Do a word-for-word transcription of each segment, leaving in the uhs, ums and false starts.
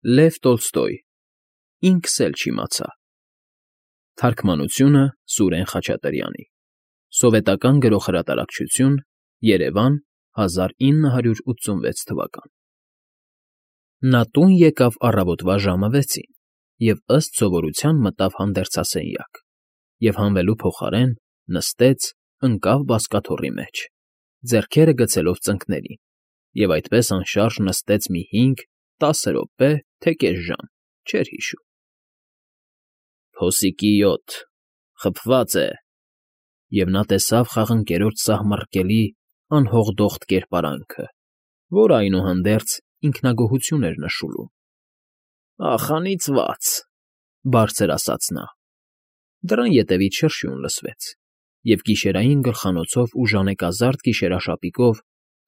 Լև Տոլստոյ Ինքս էլ չիմացա Թարգմանությունը Սուրեն Խաչատրյանի Սովետական Գրողհրատարակչություն Երևան հազար ինը հարյուր ութսունվեց թվական Նա տուն եկավ առավոտվա ժամը վեցին և ըստ սովորության մտավ հանդերձասենյակ և հանվելու փոխարեն նստեց, ընկավ բազկաթոռի մեջ, ձեռքերը գցելով ծնկներին, և այդպես անշարժ նստեց մի հինգ֊տասը րոպե, թե կես ժամ, չէր հիշում։ «Փոսիկի յոթ, խփված է», և նա տեսավ խաղընկերոջ սահմռկելի, անհողդոխտ կերպարանքը, որը, այնուհանդերձ, ինքնագոհություն էր նշուլում։ «Ախ, անիծված,֊ բարձր ասաց նա։ Դռան ետևից շրշյուն լսվեց, և գիշերային գլխանոցով ու ժանեկազարդ գիշերաշապիկով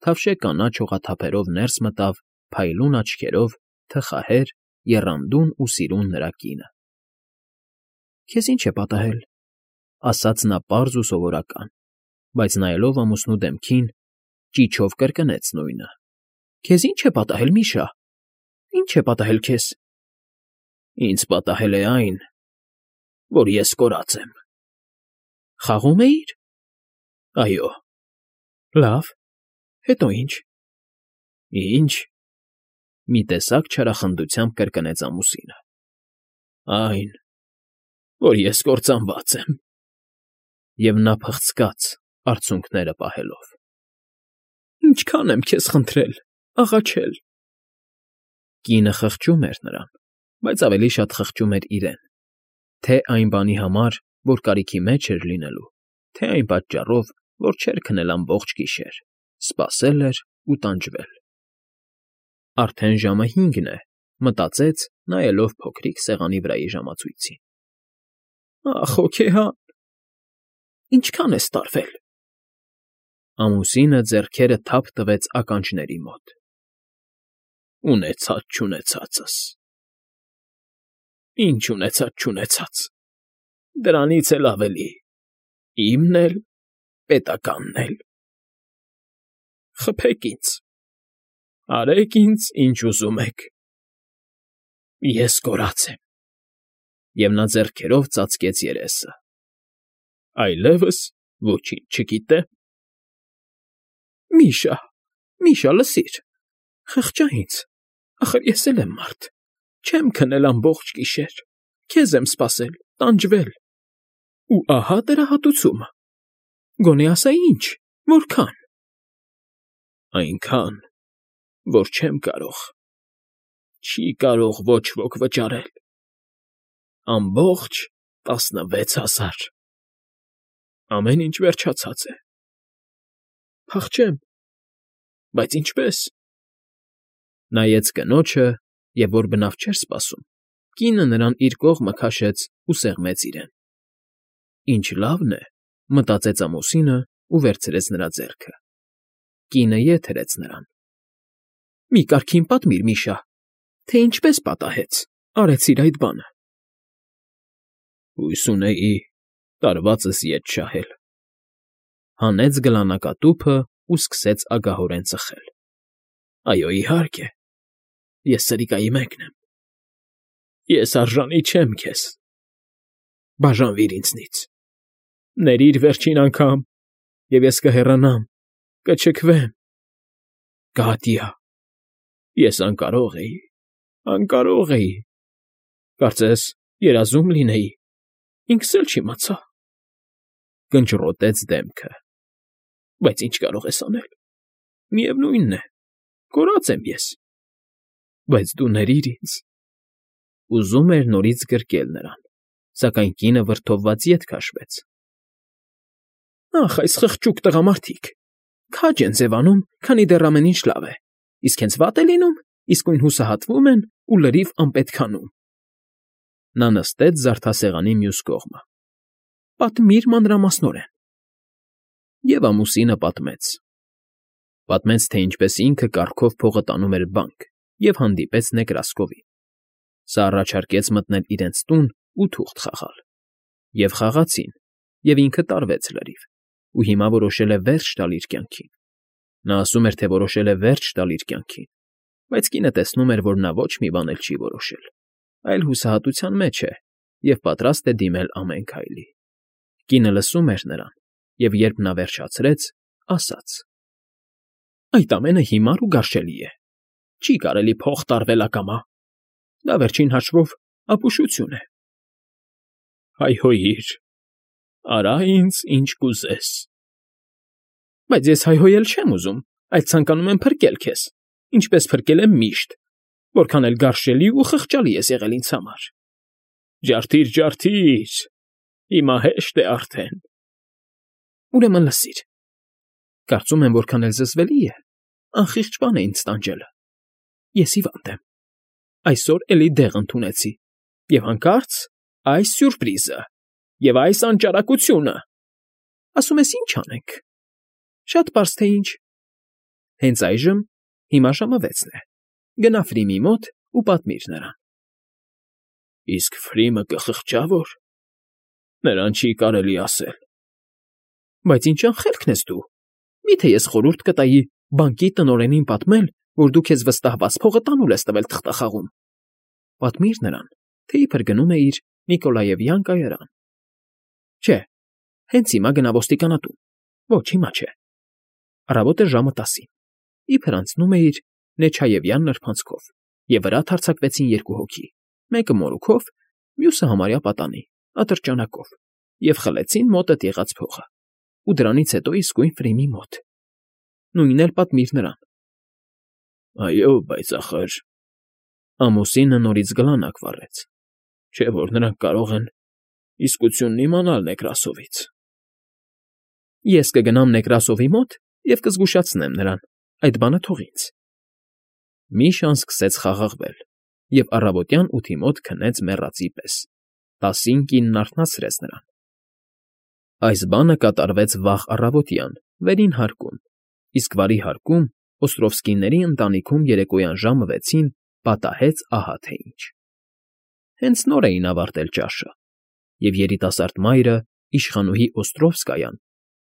թավշե կանաչ օղաթափերով ներս մտավ փայլուն աչքերով, թխահեր, եռանդուն ու սիրուն նրա կինը։ ֊ Քեզ ի՞նչ է պատահել,֊ ասաց նա պարզ ու սովորական, բայց նայելով ամուսնու դեմքին, ճիչով կրկնեց նույնը։ ֊ Քեզ ի՞նչ է պատահել, Միշա, ի՞նչ է պատահել քեզ։ ֊ Ինձ պատահել է այն, որ ես կորած եմ։ ֊ Խաղո՞ւմ էիր։ ֊ Այո։ ֊ Լավ, հետո ի՞նչ։ ֊ Ի՞նչ,֊ մի տեսակ չարախնդությամբ կրկնեց ամուսինը։ ֊ Այն, որ ես կործանված եմ։ Եվ նա փխցկաց, արցունքները պահելով։ ֊ Ինչքա՜ն եմ քեզ խնդրել, աղաչել… Կինը խղճում էր նրան, բայց ավելի շատ խղճում էր իրեն, թե՛ այն բանի համար, որ կարիքի մեջ էր լինելու, թե՛ այն պատճառով, որ չէր քնել ամբողջ գիշեր, սպասել էր ու տանջվել։ «Արդեն ժամը հինգն է,֊ մտածեց, նայելով փոքրիկ սեղանի վրայի ժամացույցին։ Ախ, հոգեհան… Ինչքա՜ն ես տարվել։ Ամուսինը ձեռքերը թափ տվեց ականջների մոտ։ Ունեցած֊չունեցածս… Ինչ ունեցած֊չունեցած… Դրանից էլ ավելի, իմն էլ, պետականն էլ… Խփեք ինձ, արեք ինձ, ինչ ուզում եք… Ես կորած եմ… Եվ նա ձեռքերով ծածկեց երեսը։ Այլևս ոչինչ չգիտեմ… Միշա, Միշա, լսիր… Խղճա ինձ, ախր ես էլ եմ մարդ, չեմ քնել ամբողջ գիշեր, քեզ եմ սպասել, տանջվել… Ու ահա դրա հատուցումը… Գոնե ասա ինչ, որքա՞ն… Այնքան, որ չեմ կարող, չի կարող ոչ ոք վճարել… Ամբողջ տասնվեց հազար… Ամեն ինչ վերջացած է… Փախչե՞մ… Բայց ինչպե՞ս… Նայեց կնոջը և, որ բնավ չէր սպասում, կինը նրան իր կողմը քաշեց ու սեղմեց իրեն։ Ինչ լավն է, մտածեց ամուսինը ու վերցրեց նրա ձեռքը։ Կինը ետ հրեց նրան։ Մի կարգին պատմիր, Միշա, թե ինչպես պատահեց, արեցիր այդ բանը։ Հույս ունեի տարվածս ետ շահել… Հանեց գլանակատուփը ու սկսեց ագահորեն ծխել։ Այո, իհարկե, ես սրիկայի մեկն եմ… Ես արժանի չեմ քեզ… Բաժանվիր ինձնից… Ներիր վերջին անգամ, և ես կհեռանամ, կչքվեմ… Կհատյա… Ես անկարող էի, անկարող էի… Կարծես երազում լինեի, ինքս էլ չիմացա… Կնճռոտեց դեմքը։ Բայց ինչ կարող ես անել… Միևնույն է, կորած եմ ես… Բայց դու ներիր ինձ… Ուզում էր նորից գրկել նրան, սակայն կինը վրդովված ետ քաշվեց։ Ախ, այս խղճուկ տղամարդիկ… Քաջ են ձևանում, քանի դեռ ամեն ինչ լավ է, իսկ հենց վատ է լինում, իսկույն հուսահատվում են ու լրիվ անպետք անում… Նա նստեց զարդասեղանի մյուս կողմը։ Պատմիր մանրամասնորեն… Եվ ամուսինը պատմեց… Պատմեց, թե ինչպես ինքը կառքով փողը տանում էր բանկ և հանդիպեց Նեկրասկովին։ Սա առաջարկեց մտնել իրենց տուն ու թուղթ խաղալ։ Եվ խաղացին, և ինքը տարվեց լրիվ, ու հիմա որոշել է վերջ տալ իր կյանքին։ Նա ասում էր, թե որոշել է վերջ տալ իր կյանքին, Բայց կինը տեսնում էր, որ նա ոչ մի բան էլ չի որոշել, այլ հուսահատության մեջ է և պատրաստ է դիմել ամեն քայլի։ Կինը լսում էր նրան, և երբ նա վերջացրեց, ասաց. «Այդ ամենը հիմար ու գարշելի է, չի կարելի փող տարվել ակամա, դա վերջին հաշվով ապուշություն է»։ «Հայհոյիր, արա ինձ ինչ կուզես»։ «Բայց ես հայհոյել չեմ ուզում, այլ ցանկանում եմ փրկել քեզ, ինչպես փրկել եմ միշտ, որքան էլ գարշելի ու խղճալի ես եղել ինձ համար»։ «Ջարդիր, ջարդիր, հիմա հեշտ է արդեն»։ «Ուրեմն լսիր. կարծում եմ, որքան էլ զզվելի է, անխիղճ բան է ինձ տանջելը։ Ես հիվանդ եմ, այսօր էլի դեղ ընդունեցի, և հանկարծ այս սյուրպրիզը և այս անճարակությունը։ Ասում ես՝ ի՞նչ անենք։ Շատ պարզ թե ինչ։ Հենց այժմ, հիմա ժամը վեցն է, գնա Ֆրիմի մոտ ու պատմիր նրան»։ «Իսկ Ֆրիմը կխղճա՞ որ։ Նրան չի կարելի ասել»։ «Բայց ինչ անխելքն ես դու, մի՞թե ես խորհուրդ կտայի բանկի տնօրենին պատմել, որ դու քեզ վստահված փողը տանուլ ես տվել թղթախաղում։ Պատմիր նրան, թե իբր գնում էիր Նիկոլաևյան կայարան։ Չէ, հենց հիմա գնա ոստիկանատուն։ Ոչ, հիմա չէ։ Առավոտ է ժամը տասին, իբր անցնում էիր Նեչաևյան նրբանցքով, և վրա թարձակվեցին երկու հոգի, մեկը մորուքով, մյուսը համարյա պատանի, ատրճանակով, և խլեցին մոտդ եղած փողը, ու դրանից հետո իսկույն Ֆրիմի մոտ։ Նույնն էլ պատմիր նրան»։ «Այո, բայց ախր…» Ամուսինը նորից գլանակ վառեց, չէ՞ որ նրանք կարող են իսկությունն իմանալ Նեկրասովից։ «Ես կգնամ Նեկրասովի մոտ և կզգուշացնեմ նրան, այդ բանը թող ինձ»։ Միշան սկսեց խաղաղվել և առավոտյան ութի մոտ քնեց մեռածի պես, տասին կինն արթնացրեց նրան։ Այս բանը կատարվեց վաղ առավոտյան, վերին հարկում, իսկ վարի հարկում Օստրովսկիների ընտանիքում երեկոյան ժամը վեցին պատահեց ահա թե ինչ։ Հենց նոր էին ավարտել ճաշը, և երիտասարդ մայրը, իշխանուհի Օստրովսկայան,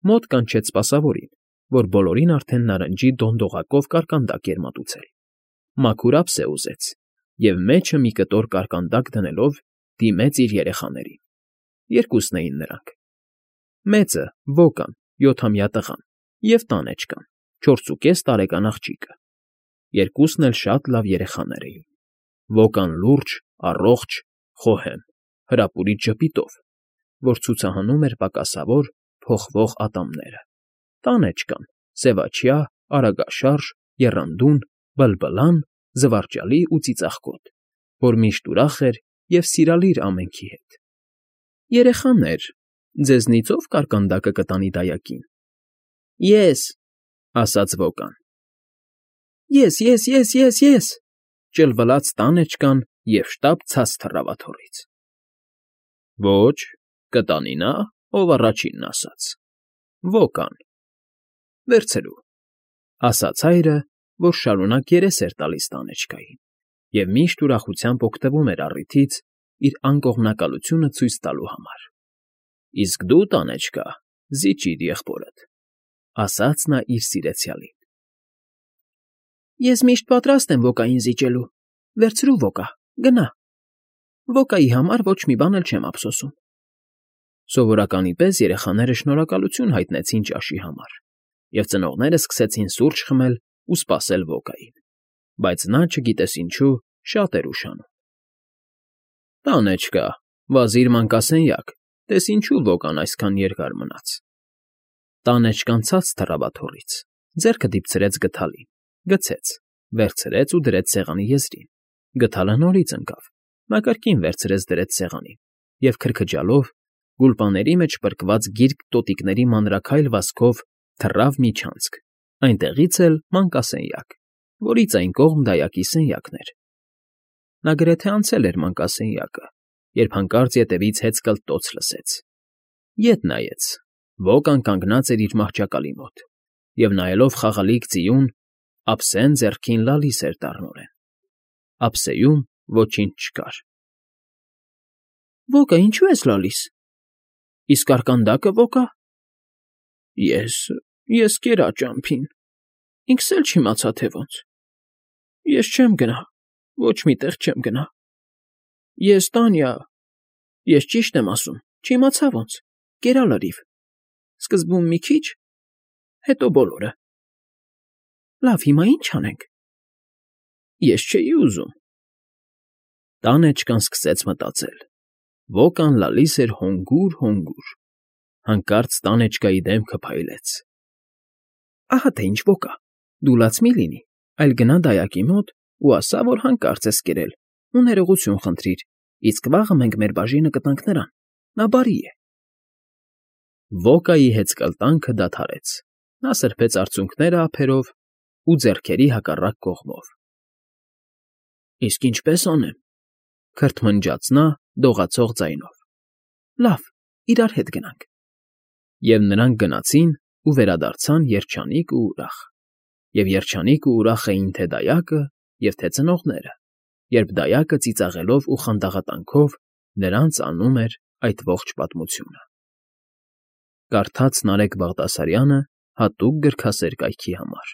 մոտ կանչեց սպասավորին, որ բոլորին արդեն նարնջի դոնդողակով կարկանդակ էր մատուցել։ Մաքուր ափսե ուզեց և մեջը մի կտոր կարկանդակ դնելով դիմեց իր երեխաներին։ Երկուսն էին նրանք. մեծը՝ Վոկան, յոթամյա տղան, և տանեջկան, չորսուկես տարեկան աղջիկը։ Երկուսն էլ շատ լավ երեխաներ էին։ Վոկան լուրջ, առողջ, խոհեմ, հրապուրիչ ժպիտով, որ ցուցահանում էր պակասավոր, փոխվող ատամները։ Տանեջկան՝ սևաչյա, արագաշարժ, եռանդուն, բլբլան, զվարճալի ու ծիծաղկոտ, որ միշտ ուրախ էր և սիրալիր ամենքի հետ։ «Երեխաներ, ձեզնից ո՞վ կարկանդակը կտանի դայակին»։ «Ես», ասաց Վոկան։ «Ես, ես, ես, ես, ես», ճլվլաց տանեջկան և շտապ ցած թռավ աթոռից։ «Ոչ, կտանի նա, ով առաջինն ասաց՝ Վոկան»։ «Վերցրու», ասաց հայրը, որ շարունակ երես էր տալիս տանեջկային և միշտ ուրախությամբ օգտվում էր առիթից իր անկողմնակալությունը ցույց տալու համար։ «Իսկ դու, տանեջկա, զիջիր եղբորդ», ասաց նա իր սիրեցյալին։ «Ես միշտ պատրաստ եմ Վոկային զիջելու, վերցրու, Վոկա, գնա։ Վոկայի համար ոչ մի բան էլ չեմ ափսոսում»։ Սովորականի պես երեխաները շնորհակալություն հայտնեցին ճաշի համար, և ծնողները սկսեցին սուրճ խմել ու սպասել Վոկային, բայց նա, չգիտես ինչու, շատ էր ուշանում։ «Տանեջկա, վազիր մանկասենյակ, տես ինչու Վոկան այսքան երկար մնաց»։ Տանեջկան ցած թռավ աթոռից, ձեռքը դիպցրեց գդալին, գցեց, վերցրեց ու դրեց սեղանի եզրին։ Գդալը նորից ընկավ, նա կրկին վերցրեց դրեց սեղանին և քրքջալով, գուլպաների մեջ պրկված գիրկ տոտիկների մանրաքայլ վազքով թռավ միջանցք, այնտեղից էլ մանկասենյակ, որից այն կողմ դայակի սենյակն էր։ Նա գրեթե անցել էր մանկասենյակը, երբ հանկարծ ետևից հեծկլտոց լսեց։ Ետ նայեց. Վոկան կանգնած էր իր մահճակալի մոտ և, նայելով խաղալիք ձիուն, ափսեն ձեռքին լալիս էր տառնորեն։ Ափսեում ոչինչ չկար։ «Վոկա, ինչո՞ւ ես լալիս։ Իսկ կարկանդակը, Վոկա»։ «Ես… ես կերա ճամփին, ինքս էլ չիմացա, թե ոնց։ Ես չեմ գնա, ոչ մի տեղ չեմ գնա։ Ես Տանյա, ես ճիշտ եմ ասում, չիմացա ոնց, կերա լրիվ, սկզբում մի քիչ, հետո բոլորը։ Լավ, հիմա ի՞նչ անենք։ Ես չէի ուզում։ Տանեջկան սկսեց մտածել։ Ոկան լալիս էր հոնգուր֊հոնգուր։ Հանկարծ տանեջկայի դեմքը փայլեց։ Ահա թե ինչ Ոկա, դու լաց մի լինի, այլ գնա դայակի մոտ ու ասա, որ հանկարծ ես կերել ու ներողություն խնդրիր, իսկ վաղը մենք մեր բաժինը կտանք նրան, նա բարի է։ Ոկայի հեծկլտանքը դադարեց, նա սրբեց արցունքները ափերով ու ձեռքերի հակառակ կողմով։ Իսկ ինչպե՞ս անեմ, քրթմնջաց նա դողացող ձայնով։ Լավ, իրար հետ գնանք։ Եվ նրանք գնացին ու վերադարձան երջանիկ ու ուրախ, և երջանիկ ու ուրախ էին թե դայակը և թե ծնողները, երբ դայակը ծիծաղելով ու խանդաղատանքով նրանց անում էր այդ ողջ պատմությունը։ Կարդաց Նարեկ Բաղդասարյանը հատուկ գրքասեր կայքի համար։